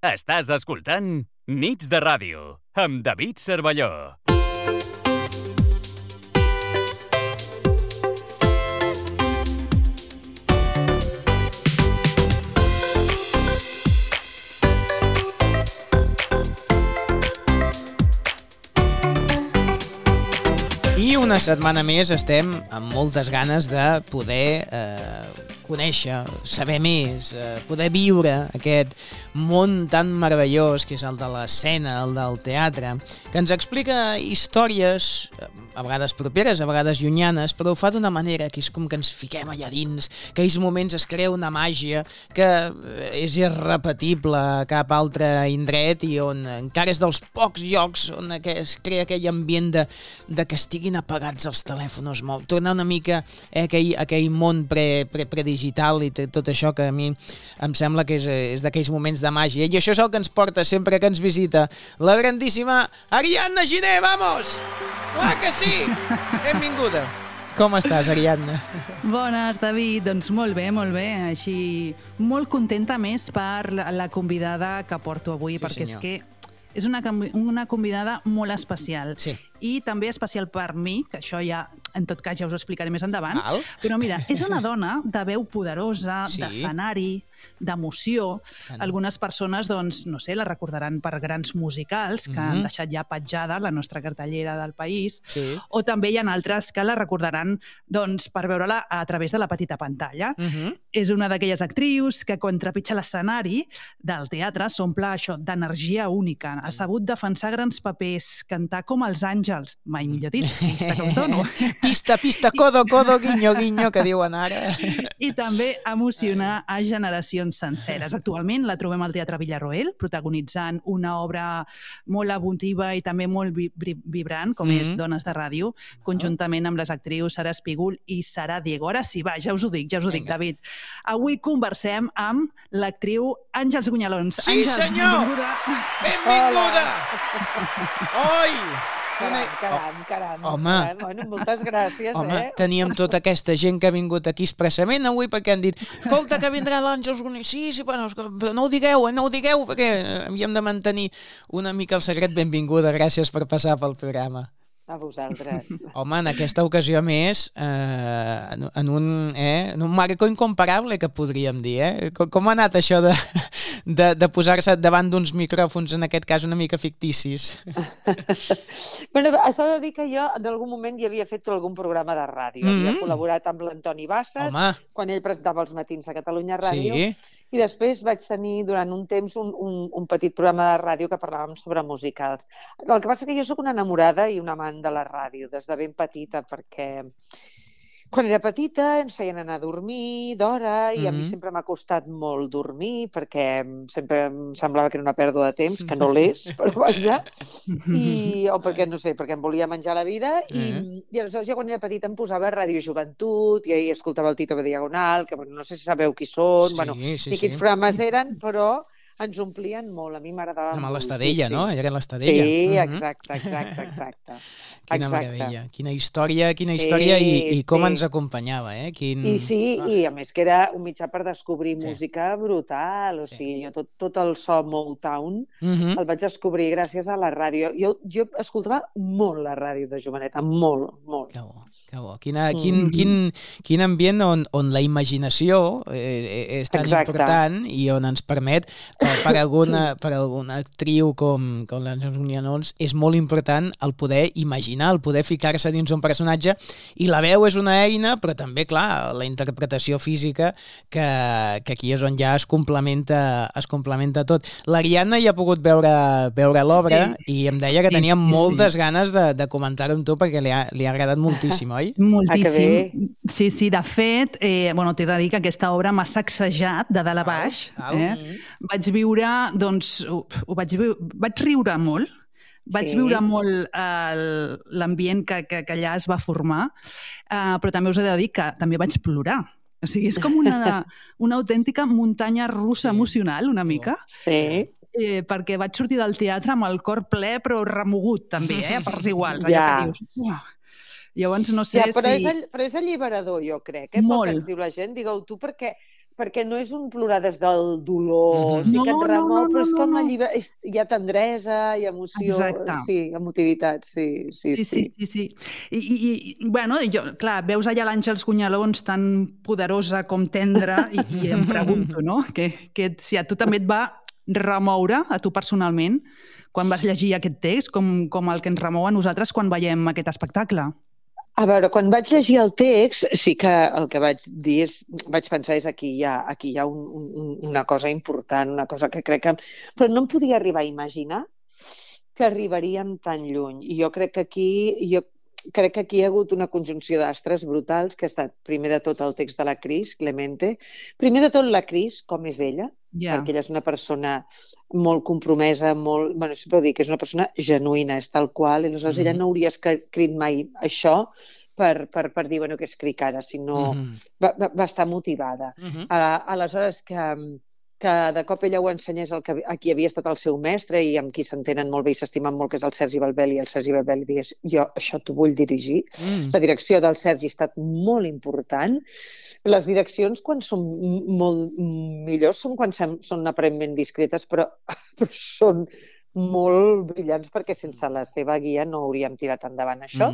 Estàs escoltant Nits de Ràdio, amb David Cervelló. I una setmana més estem amb moltes ganes de poder conèixer, saber més, poder viure aquest món tan meravellós que és el de l'escena, el del teatre, que ens explica històries, a vegades properes, a vegades llunyanes, però ho fa d'una manera que és com que ens fiquem allà dins, que aquells moments es crea una màgia que és irrepetible a cap altre indret i on encara és dels pocs llocs on es crea aquell ambient de que estiguin apagats els telèfons mòbils, tornar una mica a aquell món predigital i tot això que a mi em sembla que és d'aquells moments de màgia. I això és el que ens porta sempre que ens visita la grandíssima Ariadna Giner, vamos! Clar que sí! Benvinguda! Com estàs, Ariadna? Bones, David. Doncs molt bé, així molt contenta més per la convidada que porto avui, Sí, perquè senyor. és que és una convidada molt especial. Sí. I també especial per mi, que això ja, en tot cas, ja us ho explicaré més endavant. Val. Però mira, és una dona de veu poderosa, Sí. d'escenari, d'emoció. Tant. Algunes persones, doncs, no sé, la recordaran per grans musicals que han deixat ja petjada la nostra cartellera del país. Sí. O també hi ha altres que la recordaran, doncs, per veure-la a través de la petita pantalla. És una d'aquelles actrius que quan trepitja l'escenari del teatre s'omple això d'energia única. Ha sabut defensar grans papers, cantar com els àngels, mai millor dit, pista que us dono. Pista, codo, guinyo, guinyo, que diuen ara. I també emocionar a generacions senceres. Actualment la trobem al Teatre Villarroel, protagonitzant una obra molt emotiva i també molt vibrant, com és Dones de Ràdio, conjuntament amb les actrius Sara Espígol i Sara Diego. Ara sí, va, ja us ho dic, David. Avui conversem amb l'actriu Àngels Gunyalons. Sí, Àngels, senyor! Benvinguda! Oi! Caram. Home. Bueno, moltes gràcies, Home, teníem tota aquesta gent que ha vingut aquí expressament avui perquè han dit, escolta, que vindrà l'Àngels Gunyalons. Sí, bueno, però no ho digueu, perquè havíem de mantenir una mica el secret. Benvinguda, gràcies per passar pel programa. A vosaltres. Home, en aquesta ocasió més, en un marco incomparable, que podríem dir, Com ha anat això de posar-se davant d'uns micròfons, en aquest cas una mica ficticis? Bueno, s'ha de dir que jo en algun moment hi havia fet algun programa de ràdio. Havia col·laborat amb l'Antoni Bassas, quan ell presentava els matins a Catalunya Ràdio. Sí. I després vaig tenir durant un temps un petit programa de ràdio que parlàvem sobre musicals. El que passa que jo sóc una enamorada i una amant de la ràdio des de ben petita, perquè quan era petita ens feien anar a dormir d'hora i a mi sempre m'ha costat molt dormir perquè sempre em semblava que era una pèrdua de temps, que no l'és, però vaja, o perquè, no sé, perquè em volia menjar la vida i aleshores jo quan era petita em posava a Ràdio Joventut i ahir escoltava el Tito de Diagonal, que bueno, no sé si sabeu qui són, ni quins programes eren, però ens omplien molt, a mi m'agradava molt. Amb l'Estadella, no? Era l'Estadella. Sí, exacte. Quina meravella, quina història i com ens acompanyava, eh? I a més que era un mitjà per descobrir música brutal, o sigui, jo tot el so Motown el vaig descobrir gràcies a la ràdio. Jo escoltava molt la ràdio de joveneta, molt. Que bo. Quin ambient on la imaginació és tan important i on ens permet, per alguna actriu com l'Àngels Gunyalons, és molt important el poder imaginar, el poder ficar-se dins un personatge, i la veu és una eina, però també, clar, la interpretació física, que aquí és on ja es complementa tot. L'Ariadna ja ha pogut veure l'obra i em deia que tenia moltes ganes de comentar-ho amb tu perquè li ha agradat moltíssim, oi? Moltíssim. Sí, de fet, t'he de dir que aquesta obra m'ha sacsejat de dalt a baix. Vaig viure, doncs, vaig riure molt. Vaig viure molt l'ambient que allà es va formar, però també us he de dir que també vaig plorar. O sigui, és com una autèntica muntanya russa emocional, una mica. Sí. Perquè vaig sortir del teatre amb el cor ple, però remogut també, a parts iguals. Allò que dius... Llavors no sé si... Però és alliberador, jo crec, pel que ens diu la gent. Digueu tu, perquè perquè no és un plorar des del dolor, sí que et remou, però és com hi ha tendresa, hi ha emoció, sí, emotivitat, sí. I bueno, clar, veus allà l'Àngels Gunyalons tan poderosa com tendra i em pregunto, no?, que si a tu també et va remoure, a tu personalment, quan vas llegir aquest text, com el que ens remou a nosaltres quan veiem aquest espectacle. A veure, quan vaig llegir el text, sí que el que vaig dir vaig pensar aquí hi ha una cosa important, una cosa que crec que... Però no em podia arribar a imaginar que arribaríem tan lluny. I jo crec que aquí hi ha hagut una conjunció d'astres brutals, que ha estat, primer de tot, el text de la Cris, Clemente. Primer de tot, la Cris, com és ella, perquè ella és una persona molt compromesa, sempre ho dic, és una persona genuïna, és tal qual, i aleshores ella no hauria escrit mai això per dir, que escric ara, sinó va estar motivada. Aleshores, que de cop ella ho ensenyés a qui havia estat el seu mestre i amb qui s'entenen molt bé i s'estimen molt, que és el Sergi Balbel, i el Sergi Balbel li digués, jo això t'ho vull dirigir. La direcció del Sergi ha estat molt important. Les direccions, quan són molt millors, són quan són aparentment discretes, però són molt brillants, perquè sense la seva guia no hauríem tirat endavant això.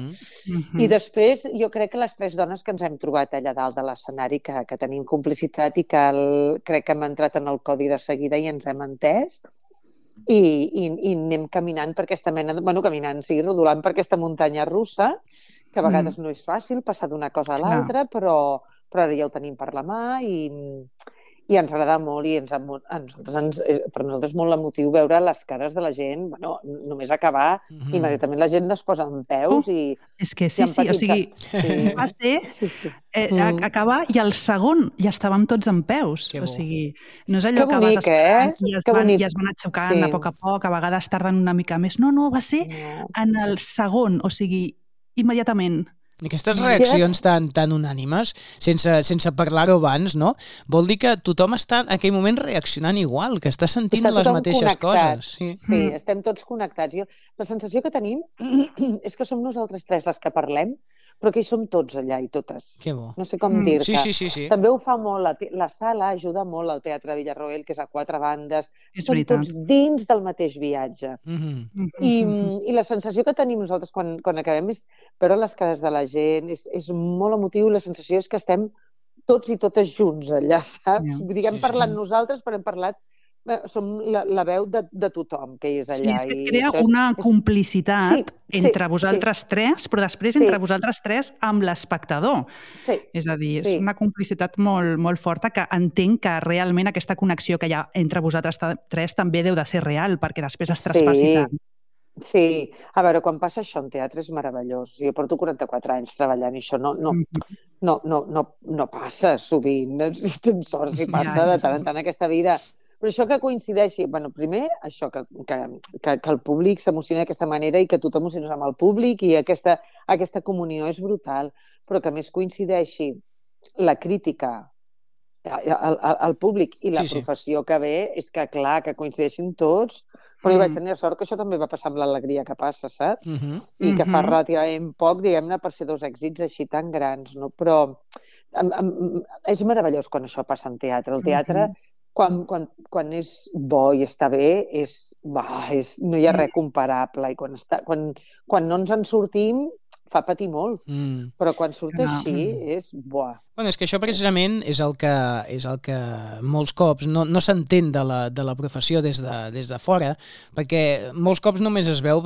I després jo crec que les tres dones que ens hem trobat allà dalt de l'escenari, que tenim complicitat i que crec que hem entrat en el codi de seguida i ens hem entès, i anem caminant per aquesta mena, rodolant per aquesta muntanya russa, que a vegades no és fàcil passar d'una cosa a l'altra, però ara ja ho tenim per la mà i ens agrada molt, i per nosaltres és molt emotiu veure les cares de la gent, només acabar, immediatament la gent es posa en peus i... És que sí, o sigui, va ser acabar i al segon ja estàvem tots en peus, o sigui, no és allò que vas esperant i es van aixucant a poc, a vegades tarden una mica més, no, va ser en el segon, o sigui, immediatament. Aquestes reaccions tan unànimes, sense parlar-ho abans, no? Vol dir que tothom està en aquell moment reaccionant igual, que està sentint les mateixes coses. Sí, estem tots connectats. La sensació que tenim és que som nosaltres tres les que parlem, però que hi som tots allà i totes. Que bo. No sé com dir-te. Sí. També ho fa molt, la sala ajuda molt al Teatre Villarroel, que és a 4 bandes. Som tots dins del mateix viatge. I la sensació que tenim nosaltres quan acabem és veure les cares de la gent, és molt emotiu, i la sensació és que estem tots i totes junts allà, saps? Vull dir que hem parlat nosaltres, però hem parlat... Som la veu de tothom que és allà. Sí, és que es crea una complicitat entre vosaltres tres, però després entre vosaltres tres amb l'espectador. És a dir, és una complicitat molt, molt forta, que entenc que realment aquesta connexió que hi ha entre vosaltres tres també deu de ser real, perquè després es traspassi tant. Sí, a veure, quan passa això en teatre és meravellós. Jo porto 44 anys treballant i això no passa sovint. Tens sort si passa de tant en tant aquesta vida. Però això que coincideixi, primer, això, que el públic s'emociona d'aquesta manera i que tu t'emociones amb el públic i aquesta comunió és brutal, però que més coincideixi la crítica, el públic i la professió que ve, és que, clar, que coincideixin tots, però jo vaig tenir sort que això també va passar amb l'alegria que passa, saps? I que fa relativament poc, diguem-ne, per ser 2 èxits així tan grans, no? Però és meravellós quan això passa en teatre. El teatre... Quan és bo i està bé, no hi ha res comparable. I quan no ens en sortim, fa patir molt. Però quan surt així, és buah. És que això precisament és el que molts cops no s'entén de la professió des de fora, perquè molts cops només es veu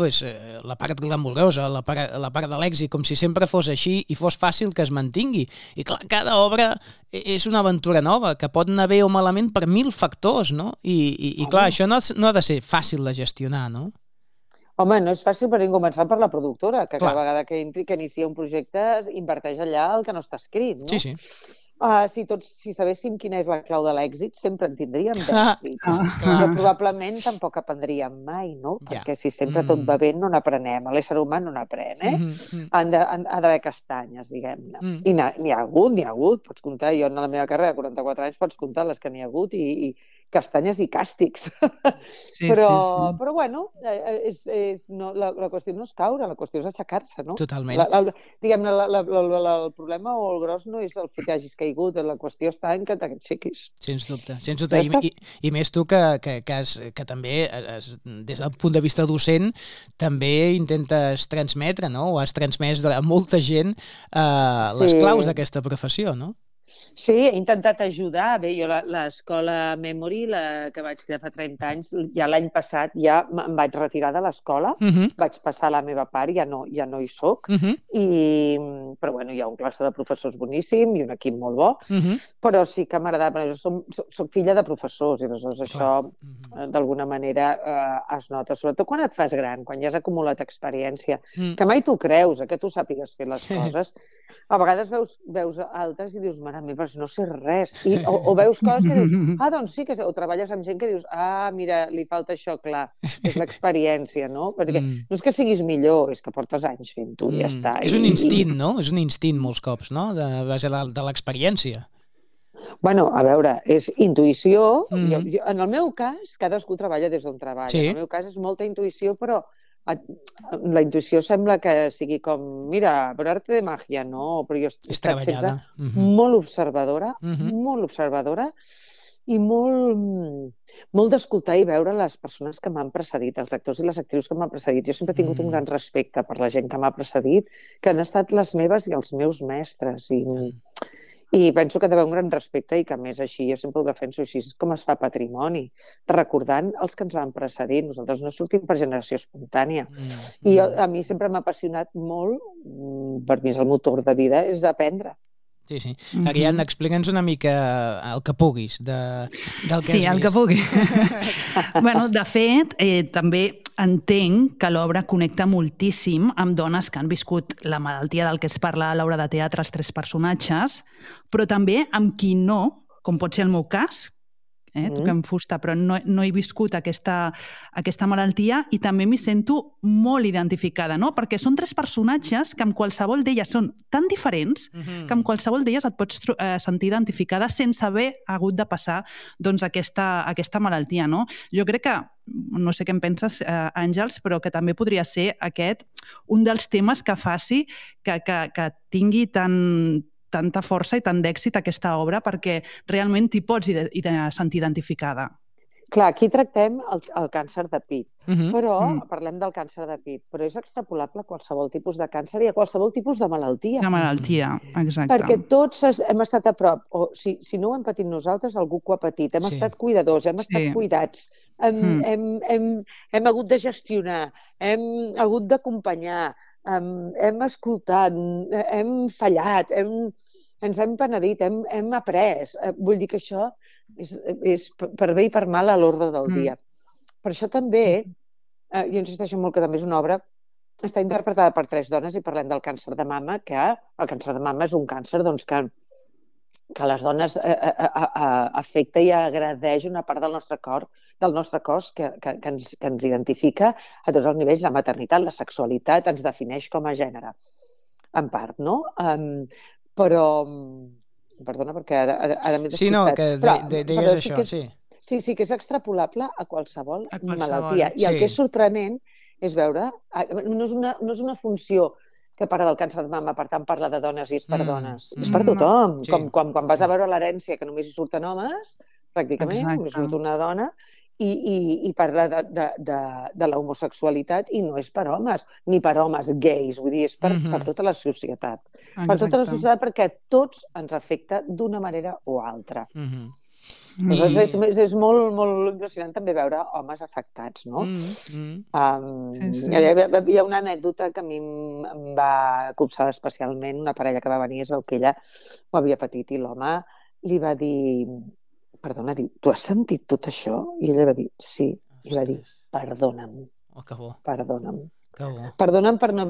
la part glamurosa, la part de l'èxit, com si sempre fos així i fos fàcil que es mantingui. I clar, cada obra és una aventura nova, que pot anar bé o malament per 1000 factors, no? I clar, això no ha de ser fàcil de gestionar, no? Home, no és fàcil per començar per la productora, que cada vegada que inicia un projecte inverteix allà el que no està escrit, no? Sí. Si sabéssim quina és la clau de l'èxit, sempre en tindríem d'èxit. Però probablement tampoc aprendríem mai, no? Perquè si sempre tot va bé, no n'aprenem. L'ésser humà no n'aprèn, Ha d'haver castanyes, diguem-ne. I n'hi ha hagut. Pots comptar, jo en la meva carrera de 44 anys pots comptar les que n'hi ha hagut i castanyes i càstigs. Però bueno, la qüestió no és caure, la qüestió és aixecar-se, no? Totalment. Diguem-ne, el problema o el gros no és el fet que hagis caigut, la qüestió està en que t'aixequis. Sens dubte. I més tu que també, des del punt de vista docent, també intentes transmetre, no? O has transmès a molta gent les claus d'aquesta professió, no? Sí, he intentat ajudar. Bé, jo l'escola Memory, la que vaig crear fa 30 anys, ja l'any passat ja em vaig retirar de l'escola, vaig passar la meva part, ja no hi soc, però bueno, hi ha un classe de professors boníssim i un equip molt bo, però sí que m'agrada, soc filla de professors i aleshores això d'alguna manera es nota, sobretot quan et fas gran, quan ja has acumulat experiència, que mai t'ho creus, que tu sàpigues fer les coses. A vegades veus altres i dius, mare meva, no sé res. O veus coses que dius, doncs sí, o treballes amb gent que dius, mira, li falta això, clar, és l'experiència, no? Perquè no és que siguis millor, és que portes anys fent-ho i ja està. És un instint, no? És un instint molts cops, no? De base de l'experiència. Bueno, a veure, és intuïció. En el meu cas, cadascú treballa des d'on treballa. En el meu cas és molta intuïció, però la intuïció sembla que sigui com, mira, per arte de màgia, no, però jo he estat sempre molt observadora i molt d'escoltar i veure les persones que m'han precedit, els actors i les actrius que m'han precedit. Jo sempre he tingut un gran respecte per la gent que m'ha precedit, que han estat les meves i els meus mestres, i penso que ha d'haver un gran respecte i que, a més, així, jo sempre ho defenso així, és com es fa patrimoni, recordant els que ens van precedir. Nosaltres no sortim per generació espontània. I a mi sempre m'ha apassionat molt, per mi és el motor de vida, és aprendre. Sí. Ariadna, explica'ns una mica el que puguis del que has vist. Sí, el que pugui. Bueno, de fet, també entenc que l'obra connecta moltíssim amb dones que han viscut la malaltia del que es parla a l'obra de teatre, els 3 personatges, però també amb qui no, com pot ser el meu cas, toquem fusta, però no he viscut aquesta malaltia i també m'hi sento molt identificada, no? Perquè són 3 personatges que amb qualsevol d'elles són tan diferents que amb qualsevol d'elles et pots sentir identificada sense haver hagut de passar doncs, aquesta malaltia, no? Jo crec que, no sé què en penses, Àngels, però que també podria ser aquest un dels temes que faci que tingui tanta força i tant d'èxit aquesta obra perquè realment t'hi pots sentir identificada. Clar, aquí tractem el càncer de pit, però parlem del càncer de pit, però és extrapolable a qualsevol tipus de càncer i a qualsevol tipus de malaltia. De malaltia, exacte. Perquè tots hem estat a prop, o si no ho hem patit nosaltres, algú que ho ha patit. Hem estat cuidadors, hem estat cuidats, hem hagut de gestionar, hem hagut d'acompanyar, hem escoltat, hem fallat, ens hem penedit, hem après. Vull dir que això és per bé i per mal a l'ordre del dia. Per això també, jo insisteixo molt que també és una obra, està interpretada per 3 dones i parlem del càncer de mama, que el càncer de mama és un càncer que les dones afecta i agredeix una part del nostre cos que ens identifica a tots els nivells, la maternitat, la sexualitat, ens defineix com a gènere, en part, no? Però... Perdona, perquè ara m'he despistat. Sí, no, que deies això, sí. Sí, que és extrapolable a qualsevol malaltia. I el que és sorprenent és veure... No és una funció que parla del càncer de mama, per tant parla de dones i és per dones. És per tothom. Com quan vas a veure l'herència, que només hi surten homes, pràcticament, només surt una dona, i parla de l'homosexualitat i no és per homes, ni per homes gais, vull dir, és per tota la societat. Per tota la societat perquè tots ens afecta d'una manera o altra. És molt impressionant també veure homes afectats, no? Hi ha una anècdota que a mi em va copsar especialment, una parella que va venir, es veu que ella ho havia patit i l'home li va dir... Perdona, diu, tu has sentit tot això? I ella va dir, sí. I va dir, perdona'm. Perdona'm. Perdona'm per no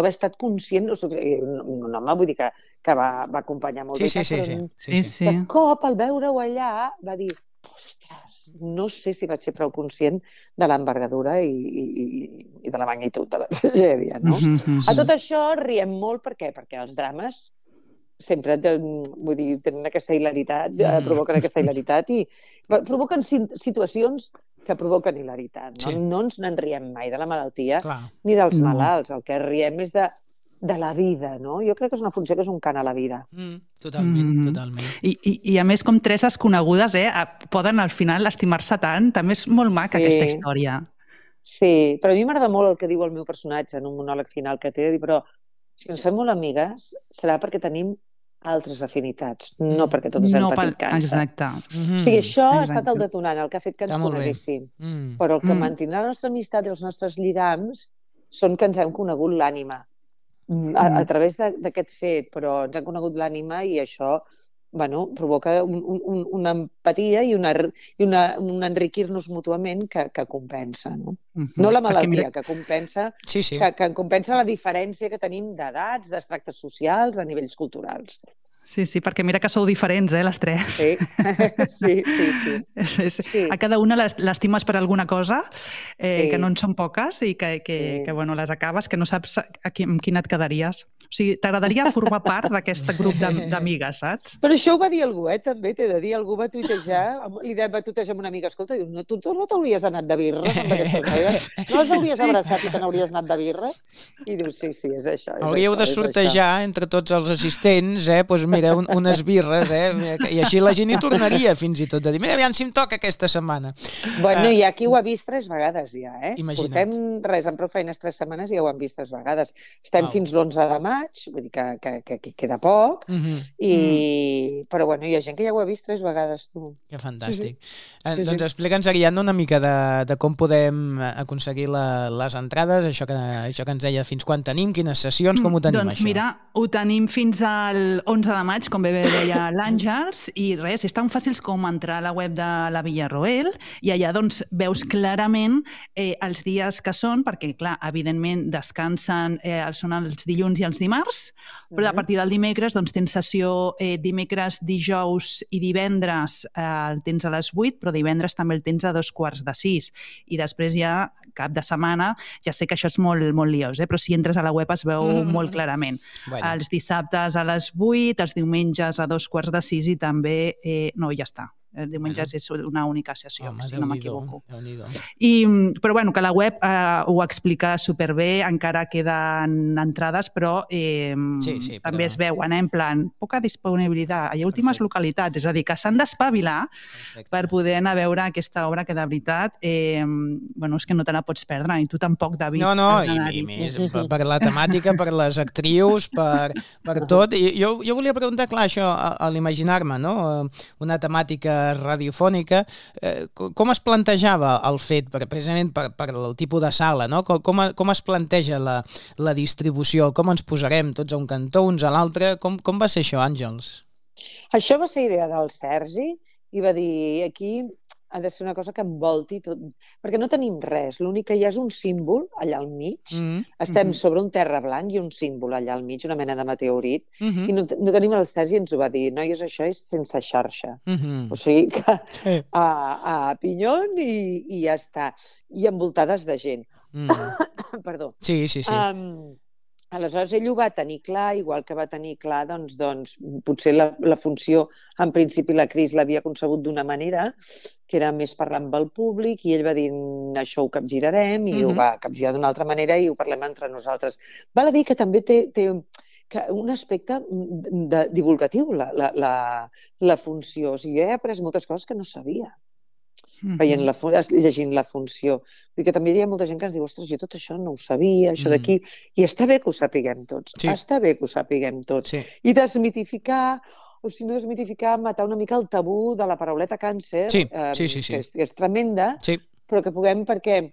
haver estat conscient. Un home, vull dir que va acompanyar molt bé. Sí. De cop, al veure-ho allà, va dir, ostres, no sé si vaig ser prou conscient de l'envergadura i de la magnitud de la tragèdia, no? A tot això riem molt, per què? Perquè els drames sempre, vull dir, tenen aquesta hilaritat, provoquen aquesta hilaritat i provoquen situacions que provoquen hilaritat. No ens n'en riem mai de la malaltia ni dels malalts. El que riem és de la vida, no? Jo crec que és una funció que és un cant a la vida. Totalment. I a més, com tres desconegudes, poden al final estimar-se tant. També és molt maca aquesta història. Sí, però a mi m'agrada molt el que diu el meu personatge en un monòleg final que té, però si ens fem molt amigues serà perquè tenim altres afinitats, no perquè totes hem patit càncer. Exacte. O sigui, això ha estat el detonant, el que ha fet que ens coneguéssim. Però el que mantindrà la nostra amistat i els nostres lligams són que ens hem conegut l'ànima a través d'aquest fet, però ens han conegut l'ànima i això provoca una empatia i un enriquir-nos mútuament que compensa, no? No la malaltia, que compensa que compensa la diferència que tenim d'edats, d'extractes socials, de nivells culturals. Sí, perquè mira que sou diferents, les tres. Sí. A cada una l'estimes per alguna cosa, que no en són poques i que les acabes, que no saps amb quina et quedaries. O sigui, t'agradaria formar part d'aquest grup d'amigues, saps? Però això ho va dir algú, també, t'he de dir, algú va tuitejar, li va tuitejar amb una amiga, escolta, diu, tu no t'hauries anat de birres amb aquestes noies? No les hauries abraçat i te n'hauries anat de birres? I diu, sí, és això. Hauríeu de sortejar entre tots els assistents, doncs mira, unes birres, i així la gent hi tornaria fins i tot a dir, mira, aviam si em toca aquesta setmana. Bueno, hi ha qui ho ha vist 3 vegades ja, Imagina't. Portem amb prou feines 3 setmanes i ja ho han vist 3 vegades. Estem fins l'11 de maig, vull dir que queda poc, però bueno, hi ha gent que ja ho ha vist 3 vegades, tu. Que fantàstic. Doncs explica'ns, Ariadna, una mica de com podem aconseguir les entrades, això que ens deia, fins quan tenim, quines sessions, com ho tenim, això? Doncs mira, ho tenim fins al 11 de maig, com bé deia l'Àngels, i res, és tan fàcils com entrar a la web de la Villarroel i allà doncs veus clarament els dies que són, perquè clar, evidentment descansen, són els dilluns i els dimarts, però a partir del dimecres doncs tens sessió dimecres, dijous i divendres el tens a les 8, però divendres també el tens a 5:45 i després ja cap de setmana, ja sé que això és molt, molt liós, però si entres a la web es veu molt clarament. Els dissabtes a les 8, els diumenges a 5:45 i també... No, ja està. El diumenge és una única sessió, si no m'equivoco. Però bueno, que la web ho explica superbé, encara queden entrades, però també es veuen, en plan, poca disponibilitat, hi ha últimes localitats, és a dir, que s'han d'espavilar per poder anar a veure aquesta obra que de veritat, és que no te la pots perdre, i tu tampoc, David. No, i més per la temàtica, per les actrius, per tot. Jo volia preguntar, clar, això, a l'imaginar-me, no? Una temàtica radiofònica, com es plantejava el fet, precisament per el tipus de sala, no? Com es planteja la distribució? Com ens posarem tots a un cantó, uns a l'altre? Com va ser això, Àngels? Això va ser idea del Sergi i va dir, aquí ha de ser una cosa que envolti tot, perquè no tenim res, l'únic que hi ha és un símbol allà al mig, estem sobre un terra blanc i un símbol allà al mig, una mena de meteorit, i no tenim el Sergi, ens ho va dir, noies, això és sense xarxa, o sigui que a pinyón i ja està, i envoltades de gent. Perdó. Sí. Aleshores, ell ho va tenir clar, igual que va tenir clar, doncs potser la funció, en principi la Cris l'havia concebut d'una manera, que era més parlar amb el públic, i ell va dir, això ho capgirarem, i ho va capgirar d'una altra manera i ho parlem entre nosaltres. Val a dir que també té un aspecte divulgatiu, la funció. O sigui, jo he après moltes coses que no sabia. Llegint la funció. Vull dir que també hi ha molta gent que ens diu, ostres, jo tot això no ho sabia, això d'aquí, i està bé que ho sapiguem tots, està bé que ho sapiguem tots. I desmitificar, o si no desmitificar, matar una mica el tabú de la parauleta càncer, que és tremenda, però que puguem, perquè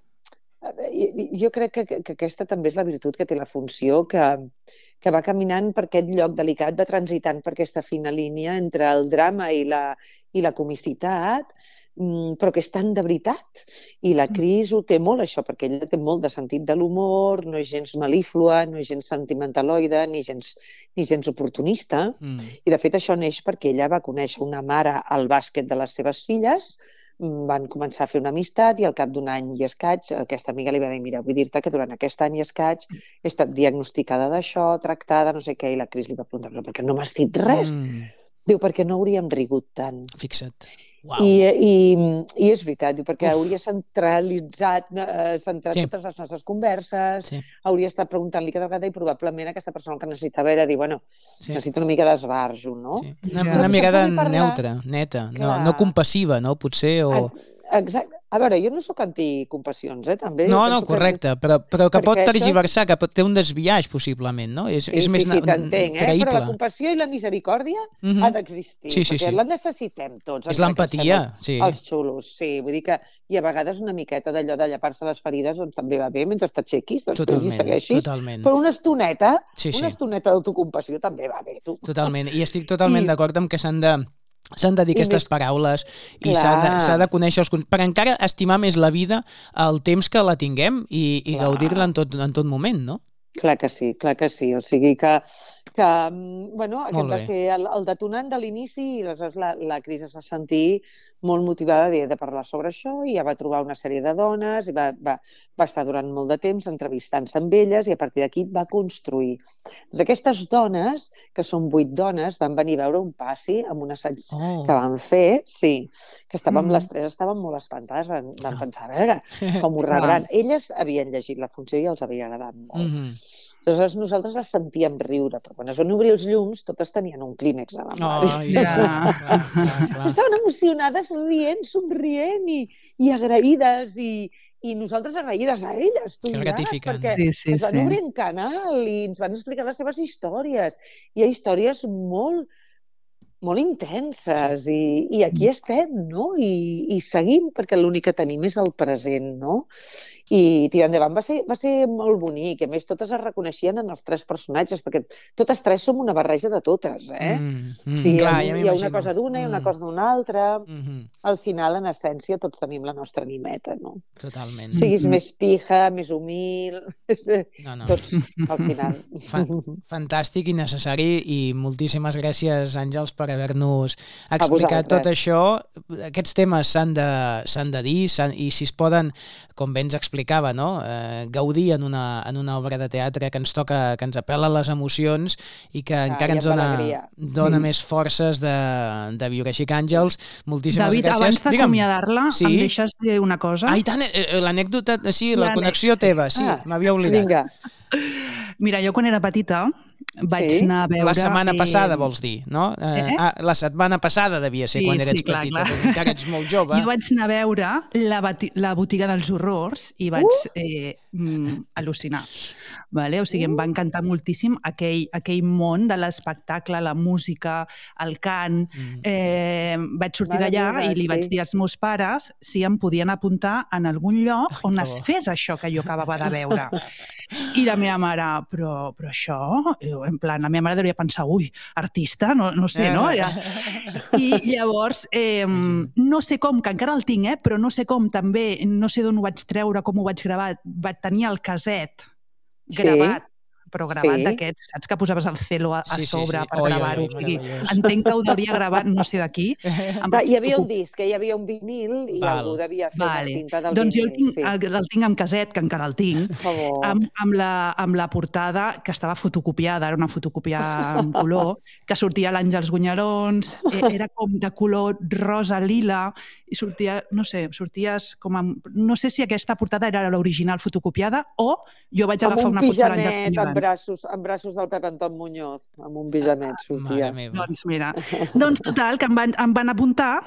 jo crec que aquesta també és la virtut que té la funció, que va caminant per aquest lloc delicat, de transitant per aquesta fina línia entre el drama i la comicitat, però que és tan de veritat. I la Cris ho té molt, això, perquè ella té molt de sentit de l'humor, no és gens melíflua, no és gens sentimentaloide, ni gens oportunista. I, de fet, això neix perquè ella va conèixer una mare al bàsquet de les seves filles, van començar a fer una amistat i al cap d'un any i escaig aquesta amiga li va dir, mira, vull dir-te que durant aquest any i escaig he estat diagnosticada d'això, tractada, no sé què, i la Cris li va preguntar, però per què no m'has dit res? Diu, perquè no hauríem rigut tant. Fixa't. Wow. I és veritat, diu, perquè hauria centrat totes les nostres converses, hauria estat preguntant-li cada vegada i probablement aquesta persona que necessitava era dir, bueno, necessito una mica d'esbarjo, no? Sí. Una mirada neutra, neta, no compassiva, no? Potser, o... Exacte. A veure, jo no sóc anticompassions, també. No, correcte, però que pot tergiversar, que té un desviatge, possiblement, no? És més creïble. Però la compassió i la misericòrdia ha d'existir, perquè la necessitem tots. És l'empatia, sí. Els xulos, sí. Vull dir que, i a vegades una miqueta d'allò de llepar-se les ferides, doncs també va bé, mentre t'aixequis, després hi segueixis. Totalment. Però una estoneta d'autocompassió també va bé, tu. Totalment, i estic totalment d'acord amb que s'han de dir aquestes paraules i s'ha de conèixer per encara estimar més la vida el temps que la tinguem i gaudir-la en tot moment, no? Clar que sí. O sigui que bueno, aquest va ser el detonant de l'inici i aleshores la Cris es va sentir molt motivada de parlar sobre això i ja va trobar una sèrie de dones i va estar durant molt de temps entrevistant-se amb elles i a partir d'aquí va construir. Aquestes dones, que són 8 dones, van venir a veure un passi amb un assaig que van fer, sí, que les tres estaven molt espantades, van pensar, a veure, com ho rebran. Elles havien llegit la funció i els havia agradat molt. Aleshores nosaltres les sentíem riure, però quan es van obrir els llums totes tenien un clínex a la mà. Estaven emocionades, rient, somrient i agraïdes i nosaltres agraïdes a elles, tu diràs, perquè es van obrir en canal i ens van explicar les seves històries. Hi ha històries molt intenses i aquí estem, no? I seguim perquè l'únic que tenim és el present, no? I tirar endavant va ser molt bonic. A més, totes es reconeixien en els 3 personatges, perquè totes 3 som una barreja de totes, Sí, hi ha una cosa d'una i una cosa d'una altra. Al final, en essència, tots tenim la nostra animeta, no? Totalment. Siguis més pija, més humil... Tots, al final. Fantàstic i necessari i moltíssimes gràcies, Àngels, per haver-nos explicat tot això. Aquests temes s'han de dir i si es poden, com bé ens explicava, no? Gaudir en una obra de teatre que ens toca, que ens apel·la les emocions i que encara ens dona més forces de viure. Així que, Àngels, moltíssimes gràcies. David, abans d'acomiadar-la, em deixes dir una cosa? Ah, i tant, l'anècdota, sí, la connexió teva, sí, m'havia oblidat. Vinga. Mira, jo quan era petita vaig anar a veure... La setmana passada, vols dir, no? La setmana passada devia ser quan eres petita, perquè encara ets molt jove. Jo vaig anar a veure la botiga dels horrors i vaig al·lucinar. O sigui, em va encantar moltíssim aquell món de l'espectacle, la música, el cant. Vaig sortir d'allà i li vaig dir als meus pares si em podien apuntar en algun lloc on es fes això que jo acabava de veure. I la meva mare, però això... En plan, la meva mare devia pensar, ui, artista, no sé, no? I llavors, no sé com, que encara el tinc, però no sé com també, no sé d'on ho vaig treure, com ho vaig gravar, vaig tenir el caset gravat, però gravat d'aquests, saps que posaves el celo a sobre per gravar-ho? O sigui, entenc que ho devia gravar, no sé d'aquí. Hi havia un disc, hi havia un vinil i algú devia fer una cinta del vinil. Doncs jo el tinc en caset, que encara el tinc, amb la portada que estava fotocopiada, era una fotocòpia en color, que sortia l'Àngels Gunyalons, era com de color rosa lila, i sortia, no sé, sorties com amb... No sé si aquesta portada era l'original fotocopiada o jo vaig agafar una foto de l'Àngels Gunyalons. Amb braços del Pep Anton Muñoz, amb un pijamet sortia. Doncs mira, total, que em van apuntar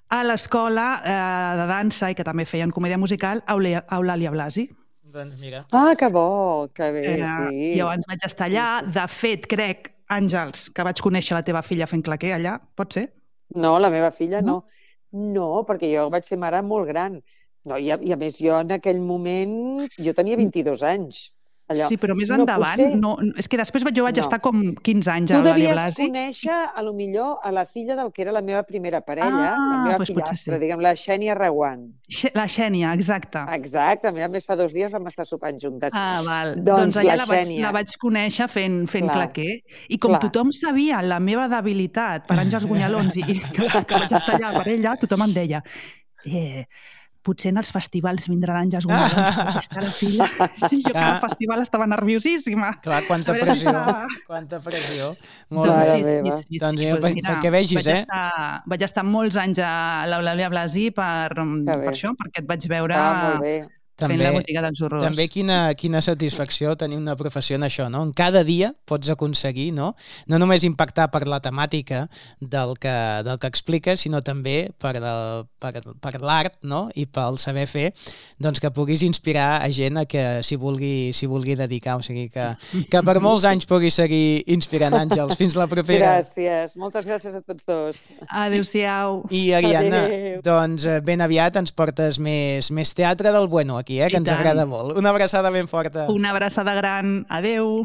a l'escola de dansa i que també feien comèdia musical, Eulàlia Blasi. Doncs mira. Ah, que bo, que bé, sí. Llavors vaig estar allà, de fet, crec, Àngels, que vaig conèixer la teva filla fent claquer allà, pot ser? No, la meva filla no. No, perquè jo vaig ser mare molt gran. No, i a més, jo en aquell moment, jo tenia 22 anys. Allò. Sí, però més endavant, és que després jo vaig estar com 15 anys a Eulàlia Blasi. Tu devies conèixer, potser, a la filla del que era la meva primera parella, la meva fillastra, diguem, la Xènia Reguant. La Xènia, exacte. Exacte, a més fa 2 dies vam estar sopant juntes. Ah, val. Doncs allà la vaig conèixer fent claquer, i com tothom sabia la meva debilitat per Àngels Gunyalons i que vaig estar allà per ella, tothom em deia potser en els festivals vindran àngels guanyadors, perquè està la filla. Jo que al festival estava nerviosíssima. Clar, quanta pressió, quanta pressió. Molt Doncs bé. sí. Doncs perquè vegis, vaig estar molts anys a l'Eulàlia Blasi per això, perquè et vaig veure fent la botiga dels horrors. També quina satisfacció tenir una professió en això, no? En cada dia pots aconseguir, no només impactar per la temàtica del que expliques, sinó també per l'art, no? I pel saber fer, doncs que puguis inspirar a gent a que s'hi vulgui dedicar. O sigui que per molts anys puguis seguir inspirant, Àngels. Fins la propera. Gràcies. Moltes gràcies a tots dos. Adéu-siau. I Ariadna, doncs ben aviat ens portes més teatre del bueno aquí, que ens agrada molt. Una abraçada ben forta. Una abraçada gran. Adéu.